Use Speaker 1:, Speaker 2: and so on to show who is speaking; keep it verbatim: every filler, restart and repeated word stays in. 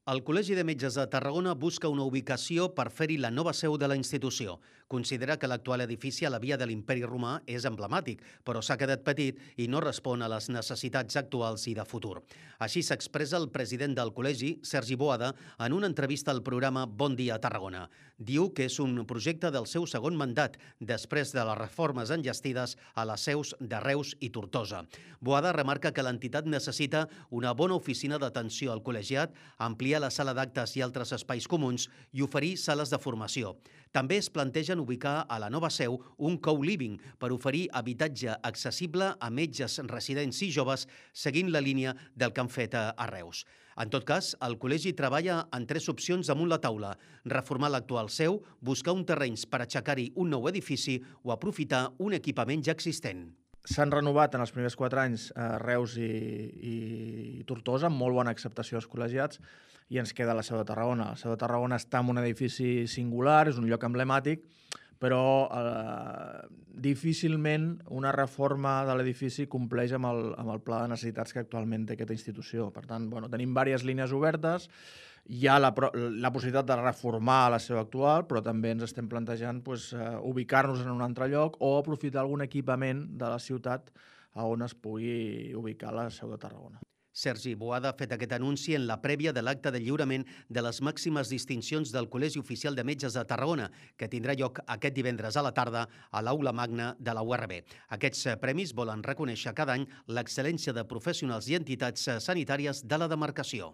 Speaker 1: El Col·legi de Metges de Tarragona busca una ubicació per fer-hi la nova seu de la institució. Considera que l'actual edifici a la via de l'Imperi Romà és emblemàtic, però s'ha quedat petit i no respon a les necessitats actuals i de futur. Així s'expressa el president del col·legi, Sergi Boada, en una entrevista al programa Bon Dia Tarragona. Diu que és un projecte del seu segon mandat, després de les reformes enllestides a les seus de Reus i Tortosa. Boada remarca que l'entitat necessita una bona oficina d'atenció al col·legiat, ampliar la sala d'actes i altres espais comuns i oferir sales de formació. També es plantegen ubicar a la nova seu un co-living per oferir habitatge accessible a metges residents i joves seguint la línia del que han fet a Reus. En tot cas, el col·legi treballa en tres opcions damunt la taula: reformar l'actual seu, buscar un terrenys per aixecar-hi un nou edifici o aprofitar un equipament ja existent.
Speaker 2: S'han renovat en els primers quatre anys eh, Reus i, i Tortosa, amb molt bona acceptació dels col·legiats, i ens queda la seu de Tarragona. La seu de Tarragona està en un edifici singular, és un lloc emblemàtic, però eh, difícilment una reforma de l'edifici compleix amb el, amb el pla de necessitats que actualment té aquesta institució. Per tant, bueno, tenim diverses línies obertes, hi ha la, la possibilitat de reformar la seu actual, però també ens estem plantejant pues, uh, ubicar-nos en un altre lloc o aprofitar algun equipament de la ciutat on es pugui ubicar la seu de Tarragona.
Speaker 1: Sergi Boada ha fet aquest anunci en la prèvia de l'acte de lliurament de les màximes distincions del Col·legi Oficial de Metges de Tarragona, que tindrà lloc aquest divendres a la tarda a l'Aula Magna de la U R B. Aquests premis volen reconèixer cada any l'excel·lència de professionals i entitats sanitàries de la demarcació.